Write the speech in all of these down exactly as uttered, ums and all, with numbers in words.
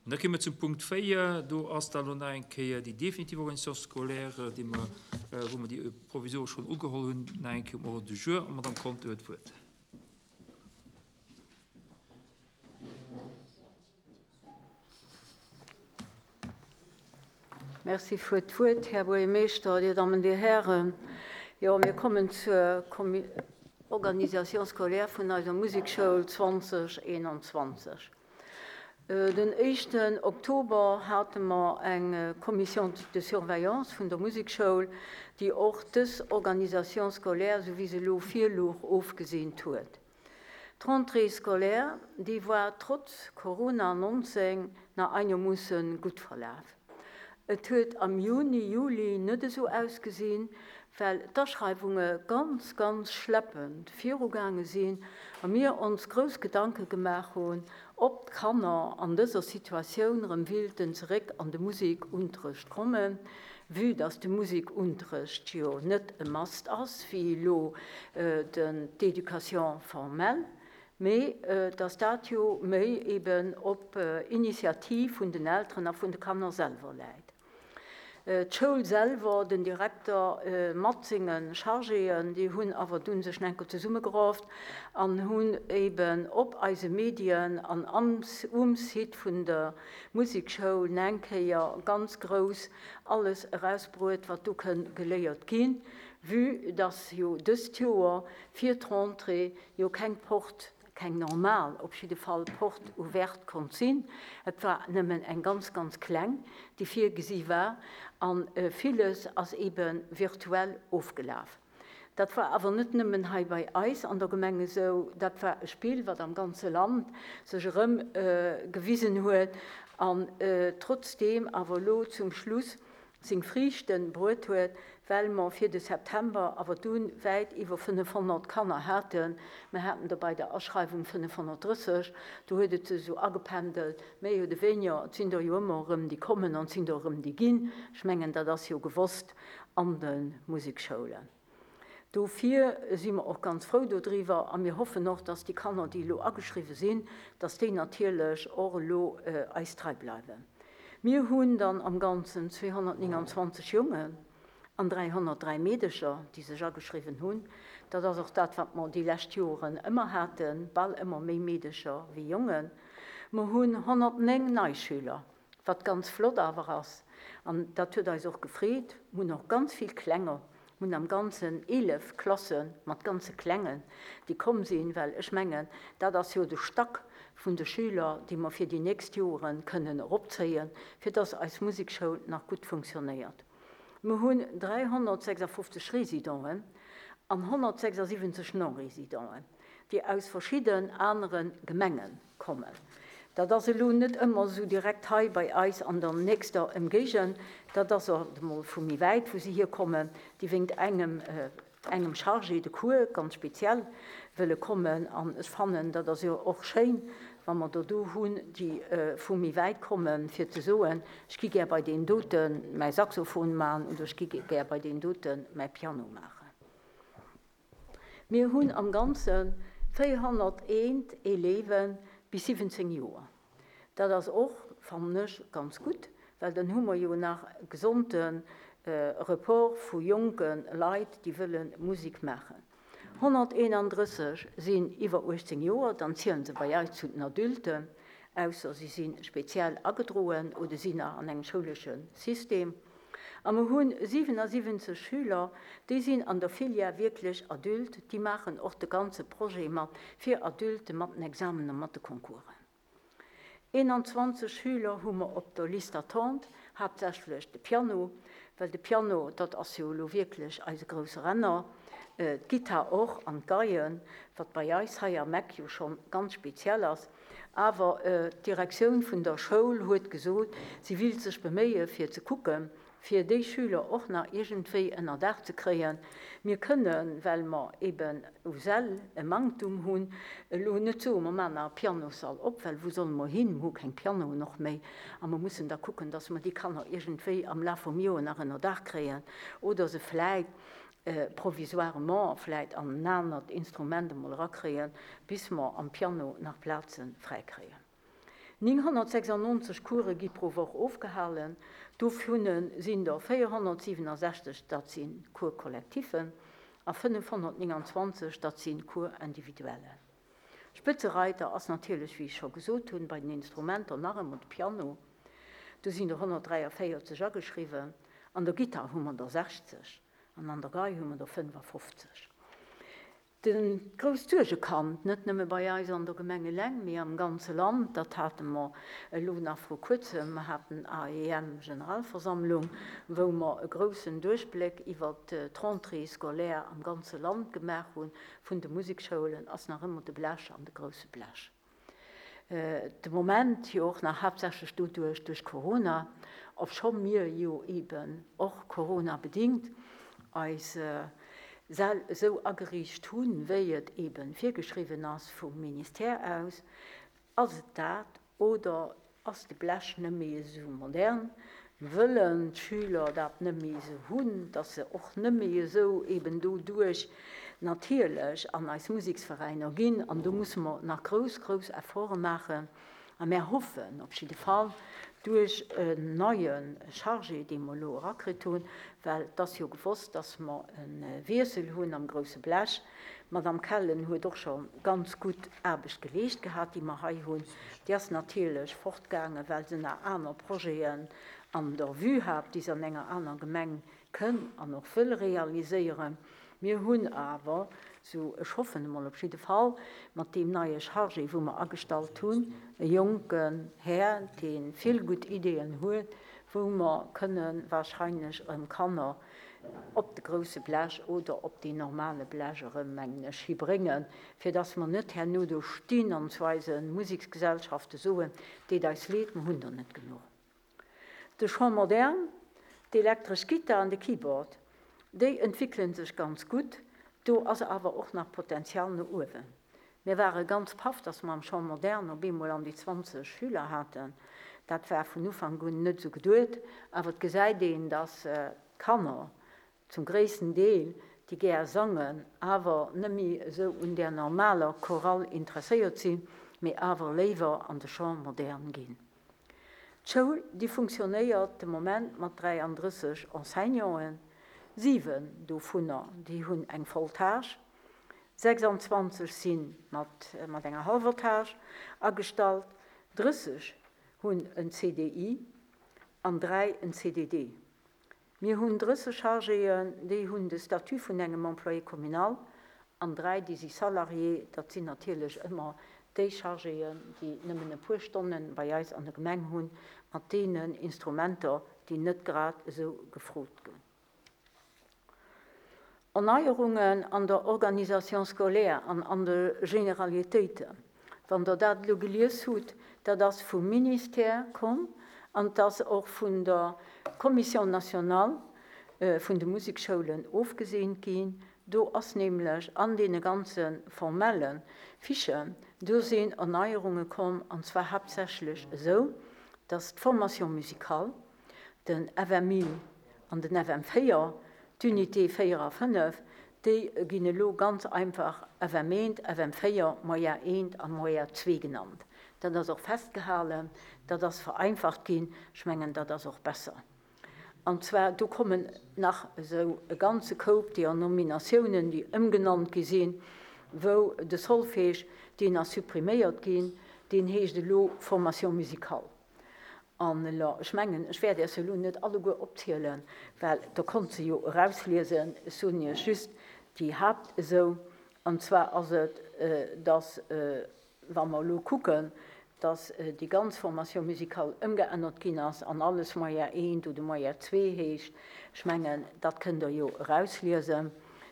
An da komme mer zum Punkt véier. Do ass dann elo nach eng Kéier déi definitiv Organisation scolaire, déi mer, wou mer déi provisoresch schonn ugeholl hunn, nach eng Kéier um Ordre du jour. An d'Madame Conter huet d'Wuert. Merci fir d'Wuert, Här Buergermeeschter, Dir Dammen, Dir Hären. Jo, mir kommen zur Organisation scolaire vun eiser Musekschoul zwanzeg eenanzwanzeg. Den éischten Oktober hate mer eng Commission de surveillance vun der Musekschoul, déi och dës Organisation scolaire, esou wéi se elo virlouch, ofgeseent huet. D'Rentrée scolaire, déi war trotz Corona neunzehn nach einermoosse gutt verlaf. Et huet am Juni, Juli net esou ausgesinn, well d'Aschreiwunge ganz, ganz schleppend virugaange sinn a mir ons grouss Gedanke gemaach hunn, ob d'Kanner an dëser Situatioun erëm willten zeréck an de Musikunterrecht kommen, vue dass de Musikunterrecht jo net e Must ass, wéi elo den d'Éducation formelle, mee dass dat jo méi eben op Initiativ vun den Elteren a vun de Kanner selwer läit. D'Schoul selwer, den Direkter mat senge Chargéen, déi hunn awer dunn sech enker zesummegerafft an hunn eben op eise Medien an am, um Site vun der Musekschoul eng Kéier ganz grouss alles erausbruet, wat do kënn geléiert ginn, vue dass jo dëst Joer fir d'Rentrée jo keng Porte, keng normal, op jidde Fall Porte ouverte konnt sinn. Et war nëmmen eng ganz, ganz kleng, déi virgesi war, an villes ass eben virtuell ofgelaf. Dat war awer net nëmmen hei bei eis an der Gemeng esou, dat war e Spill, wat am ganze Land sech erëm gewisen huet an trotzdem awer elo zum Schluss seng Friichten bruet huet, well mer fir de September awer dunn wäit iwwer fënnefhonnert Kanner haten. Mir haten da bei der Aschreiwung fënnefhonnertdrësseg, do huet et sech esou agependelt, méi oder weniger, et sinn der jo ëmmer erëm déi kommen an et sinn der erëm déi ginn. Ech mengen, dat ass jo gewosst an de Musekschoulen. Dofir si mer och ganz frou dodriwwer a mir hoffen och, dass déi Kanner, déi elo ageschriwwen sinn, dass déi natierlech och elo eis trei bleiwen. Mir hunn dann am Ganzen zweehonnertneunundzwanzeg Jongen an dräihonnertdräi Meedecher, déi sech ageschriwwen hunn. Dat ass och dat, wat mer déi lescht Joren ëmmer haten, bal ëmmer méi Meedecher wéi Jongen. Mer hunn honnertnéng Neischüler, wat ganz flott awer ass. An dat huet eis och gefreet. Mir hunn och ganz vill Klenger. Mir hunn am Ganzen eelef Klasse mat ganze Klengen, déi komm sinn, well ech mengen, dat ass jo de Stack vun de Schüler, déi mer fir déi nächst Joren kënnen eropzéien, fir dass eis Musekschoul nach gutt funktionéiert. Mir hunn dräihonnertsechsundfünfzig Résidenten an honnertsechsundsiwwenzeg Non-Résidenten, déi aus verschiedenen anderen Gemengen kommen. Dat ass elo net ëmmer esou direkt hei bei eis an der nächster Ëmgéigend. Dat ass och emol vu méi wäit, wou si hier kommen, déi wéinst engem, äh, engem Chargé de Cours ganz speziell wëlle kommen. An ech fannen, dat ass jo och schéin, wa mer do do hunn, déi, äh, vu méi wäit kommen, fir ze soen, ech gi gär bei den doten mäi Saxophon maachen oder ech gi gär bei den doten mäi Piano maachen. Mir hunn am Ganze véierhonnerteent Élèven bis siwwenzéng Joer. Dat ass och, fannen ech, ganz gutt, well dann hu mer jo nach gesonde, äh, Report vu jonke Leit, déi wëlle Musik maachen. honnerteenunddrësseg sinn iwwer uechtzéng Joer, dann zielen se bei eis zu den Adulten, ausser si sinn speziell agedroen oder sinn nach an engem schouleschen System. A mir hunn siewenundsiwwenzeg Schüler, déi sinn an der Filière wierklech Adult, déi maachen och de ganze Projet mat fir Adulte mat den Examen a mat de Concoursen. Eenundzwanzeg Schüler hu mer op der Liste d'attente, haaptsächlech de Piano, well de Piano, dat ass jo elo wierklech eise grousse Renner, äh, d'Gitarre och an d'Geien, wat bei eis hei am Eck jo schon ganz speziell ass. Awer, äh, d'Direktioun vun der Schoul huet gesot, si will sech beméie fir ze kucken, fir déi Schüler och nach iergendwéi ënner Daach ze kréien. Mir kënnen, well mer eben u Säll e Manktum hunn, elo net soen, mer maachen nach e Pianossall op, well wou solle mer hin? Mir hu keng Pianoen och méi. A mer mussen da kucken, dass mer déi Kanner iergendwéi am Laf vum Joer nach ënner Daach kréien oder se vläicht, äh, provisoirement vläicht an en anert Instrument emol erakréien, bis mer am Piano nach Plaze fräikréien. Nénghonnertsechsannonzeg Course gi pro Woch ofgehalen, dovunner sinn der véierhonnertsiwwenasechzeg, dat si Cours collectifen, a fënnefhonnertnénganzwanzeg, dat si Cours individuellen. Spëtzereiter ass natierlech, wéi ech scho gesot hunn, bei den Instrumenter nach ëmmer de Piano, do sinn der honnertdräiavéierzeg ageschriwwen, an der Gittar hu mer der sechzeg an an der Gei hu mer der fënnefafofzeg. De grousst Suergekand, net nëmme bei eis an der Gemeng eleng, mee am ganze Land, dat hate mer elo nach vru kuerzem, mer haten A E M-Generalversammlung, wou mer e groussen Duerchbléck iwwert d'Rentrée scolaire am ganze Land gemaach hunn, vun de Musekschoulen, ass nach ëmmer de Blech an de grousse Blech. De Moment jo och nach haaptsächlech doduerch, duerch Corona, obscho mir jo eeben och Corona-bedingt eis Säll esou ageriicht hunn, wéi et eeben virgeschriwwen ass vum Ministère aus. Ass et dat oder ass de Blech net méi esou modern? Wëllen d'Schüler dat net méi esou hunn, dass se och net méi esou eeben doduerch natierlech an eis Museksveräiner ginn? An do musse mer nach grouss, grouss Efforte maachen. A mär hoffen op jidde Fall, duerch en neie Chargé, dee mer elo erakritt hunn, well et ass jo gewosst, dass mer e Wiessel hunn am grousse Blech. D'Madame Kellen huet och scho ganz gutt Aarbecht geleescht gehat, déi mer hei hunn. Déi ass natierlech fortgaangen, well se nach aner Projeten an der Vue hat, déi se an enger aner Gemeng kënn an och wëll realiséieren. Mir hunn awer, sou ech hoffen emol op jidde Fall, mat deem neie Chargé, wou mer agestallt hunn, e jonken Här, dee vill gutt Ideeën huet, wou mer kënne wahrscheinlech erëm Kanner op de grousse Blech oder op deen normale Blech erëm, mengen ech, hibréngen, fir dass mer net herno do stinn an zu eise Museksgesellschafte soen, deet eis leed, mer hunn der net genuch. De Chant moderne, d'elektresch Gittar an de Keyboard, déi entwéckele sech ganz gutt, do ass awer och nach Potenzial no uewen. Mir ware ganz paff, dass mer am Chant moderne op eemol an déi zwanzeg Schüler haten. Dat war vun Ufank un net esou geduet, awer et gesäit een, dass d'Kanner zum gréissten Deel, déi gär sangen, awer net méi esou un där normaler Chorale interesséiert sinn, mee awer léiwer an de Chant moderne ginn. D'Schoul, déi funktionéiert de Moment mat dräiandrësseg Enseignanten, siwen dovunner, déi hunn eng voll Tâche, sechsandzwanzeg si mat, mat enger hallwer Tâche agestallt, drësseg hunn en C D I an dräi en C D D. Mir hunn drësseg Chargéen, déi hunn de Statut vun engem Employé communal an dräi, déi si Salarié, dat sinn natierlech ëmmer déi Chargéen, déi nëmmen e puer Stonnen bei eis an der Gemeng hunn, mat deenen Instrumenter, déi net grad esou gefrot ginn. Erneuerungen an der Organisation scolaire an an de Generalitéiten. Wann der dat elo gelies hutt, dat ass vum Ministère komm an dat ass och vun der Commission nationale, äh, vun de Musikschoulen ofgeseent ginn. Do ass nämlech an deene ganze formelle Fichen, do sinn Erneuerunge komm, an zwar haaptsächlech esou, dass d'Formation musicale, den F M I an den F M véier, d'Unité véier a fënnef, déi ginn elo ganz einfach F M eent, F M véier, Moyen eent a Moyen zwee genannt. Dat ass och festgehalen, dat ass vereinfacht ginn, ech mengen, dat ass och besser. An zwar, do kommen nach esou e ganze Koup déi an Nominatiounen, déi ëmgenannt gi sinn, wou de Solfège, deen ass suppriméiert ginn, deen heescht elo Formation musicale. An elo, ech mengen, ech werde es elo net alleguer opzielen, well da konnt se jo erausliesen, ech soen iech just déi Haupt esou. An zwar ass et, äh, dass, äh, wa mer elo kucken, dass, äh, déi ganz Formation musicale ëmgeännert ginn ass an alles Moyen eent oder Moyen zwee heescht. Ech mengen, dat kënnt der jo erausliesen,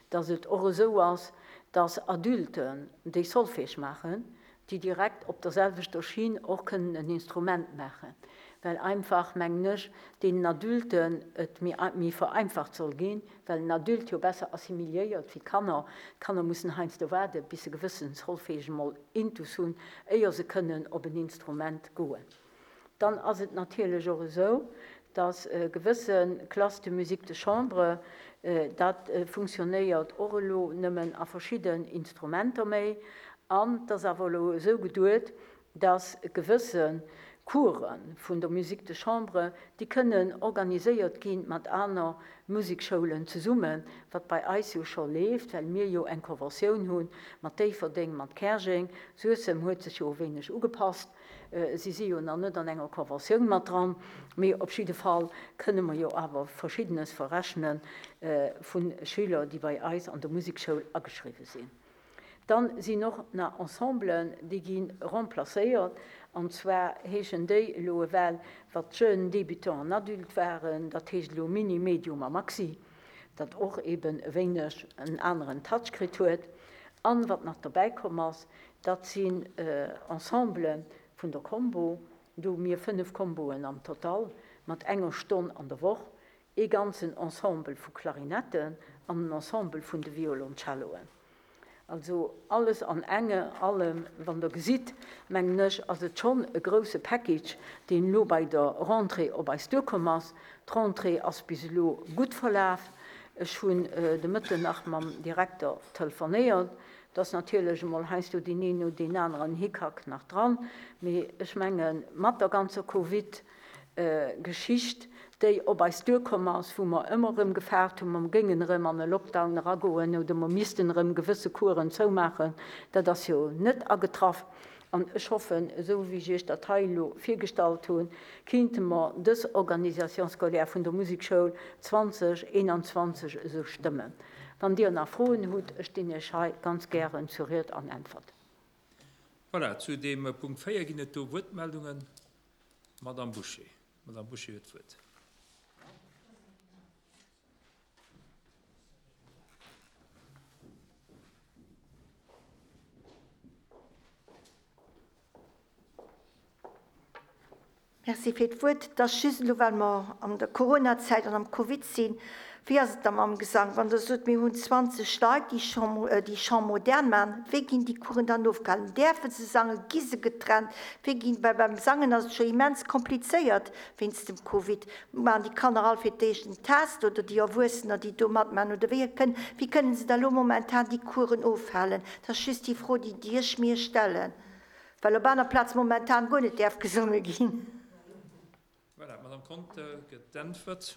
dass et och esou ass, dass Adulten, déi Solfège maachen, déi direkt op der selwechter Schiene och kënnen en Instrument maachen. Well einfach, mengen ech, deenen Adulten et méi, méi vereinfacht soll ginn, well en Adult jo besser assimiliéiert wéi d'Kanner. D'Kanner mussen heiansdo waarden, bis se gewëssen Solfège mol intus hunn, éier se kënnen op en Instrument goen. Dann ass et natierlech och esou, dass, äh, gewësse Classe de musique de chambre, äh, dat, äh, funktionéiert och elo nëmmen a verschiddenen Instrumenter méi, an das awer elo esou geduet, dass gewësse Coursen vun der Musique de chambre, déi kënnen organiséiert gi mat aner Musekschoulen zesummen, wat bei eis jo scho leeft, well mir jo eng Conventioun hu mat Déifferdeng, mat Käerjeng. Suessem huet sech jo e wéineg ugepasst. Si si jo nach net an enger Conventioun mat dran, mee op jidde Fall kënne mer jo awer Verschiddenes verrechne vu Schüler, déi bei eis an der Musekschoul ageschriwwe sinn. Dann sinn och nach Ensemblen, déi gi remplacéiert, an zwar heeschen déi elo ewell, wat Jeunes, Débutants an Adultes waren, dat heescht elo Mini, Medium a Maxi, dat och eben e wéineg en aneren Touch kritt huet. An wat nach dobäi komm ass, dat sinn Ensemblen vun der Combo, do hu mir fënnef Comboen am Total mat enger Stonn an der Woch, ee ganzen Ensemble vu Klarinetten an en Ensemble vun de Violoncelloen. Also alles an enge allem, wann Der gesitt, mengen ech, ass et schonn e grouse Package, deen elo bei der Rentrée op eis duerkomm ass. D'Rentrée ass bis elo gutt verlaf. Ech hunn de Mëtten nach mam Direkter telefonéiert. Et ass natierlech emol heiansdo deen een oder deen aneren Hickhack nach dran, mee ech mengen, mat der ganzer Covid, Geschicht, déi op eis duerkomm ass, wou mer ëmmer erëm gefaart hunn, mer géingen erëm an e Lockdown eragoen oder mer missten erëm gewësse Coursen zoumaachen, dat ass jo net agetraff. An ech hoffen, esou wéi ech Iech dat hei elo virgestallt hunn, kéinte mer dës Organisation scolaire vun der Musekschoul zwanzeg eenanzwanzeg esou stëmmen. Wann Dir nach Froen hutt, ech stinn Iech hei ganz gären zur Ried an Äntwert. Voilà, zu deem Punkt véier ginn et do Wuertmeldungen. Madame Bouché. Madame Bouché huet d'Wuert. Merci fir d'Wuert. Et ass just elo, well mer an der Coronazäit an am Covid sinn, wéi ass et da mam Gesang? Wann Der sot, mir hunn zwanzeg Leit, déi Chant, déi Chant moderne maachen, wéi ginn déi Coursen dann ofgehalen? Däerfe se sangen? Gi se getrennt? Wéi ginn, well beim Sangen ass et scho immens komplizéiert wéinst dem Covid. Maachen déi Kanner all fir d'éischt en Test oder déi Erwuessener, déi do matmaachen? Oder wéi kënn, wéi kënnen se da elo momentan déi Coursen ofhalen? Dat ass just déi Fro, déi, déi ech mir stellen, well op aner Plaze momentan guer net däerf gesonge ginn. Voilà, d'Madame Conter gëtt d'Äntwert.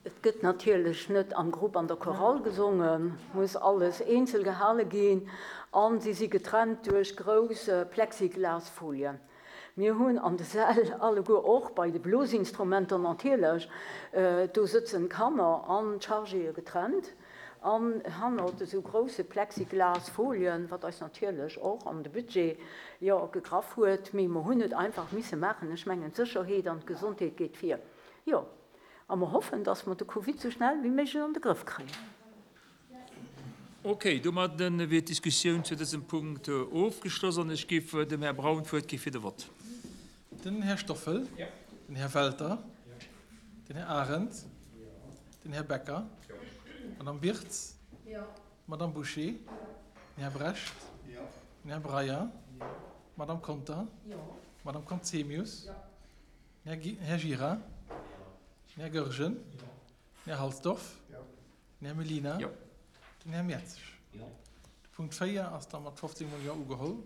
Et gëtt natierlech net am Grupp an der Chorale gesongen, muss alles eenzel gehale ginn a si si getrennt duerch grouss Plexiglasfolien. Mir hunn an de Säll alleguer, och bei de Blosinstrumenter natierlech, do sëtzen d'Kanner an d'Chargéë getrennt an hannert esou grousse Plexiglasfolien, wat eis natierlech och an de Budget, jo, gegraff huet, mee mer hunn et einfach misse maachen. Ech mengen, d'Sécherheet an d'Gesondheet geet vir. Jo, a mer hoffen, dass mer de Covid esou schnell wéi méiglech an de Grëff kréien. Ok, domadden wier d'Diskussioun zu dësem Punkt ofgeschloss an ech géif dem Här Braun d'Wuert gi fir de Vott. Den Här Stoffel. Den Här Welter. Den Här Arendt. Den Här Becker. D'Madame Birtz. D'Madame Bouché. Den Här Brecht. Den Här Breyer. D'Madame Conter. D'Madame Conzemius. Den Här Gira. Den Här Goergen. Den Här Halsdorf. Den Här Mellina. Den Här Mertzig. De Punkt véier ass da mat fofzéng mol Jo ugeholl.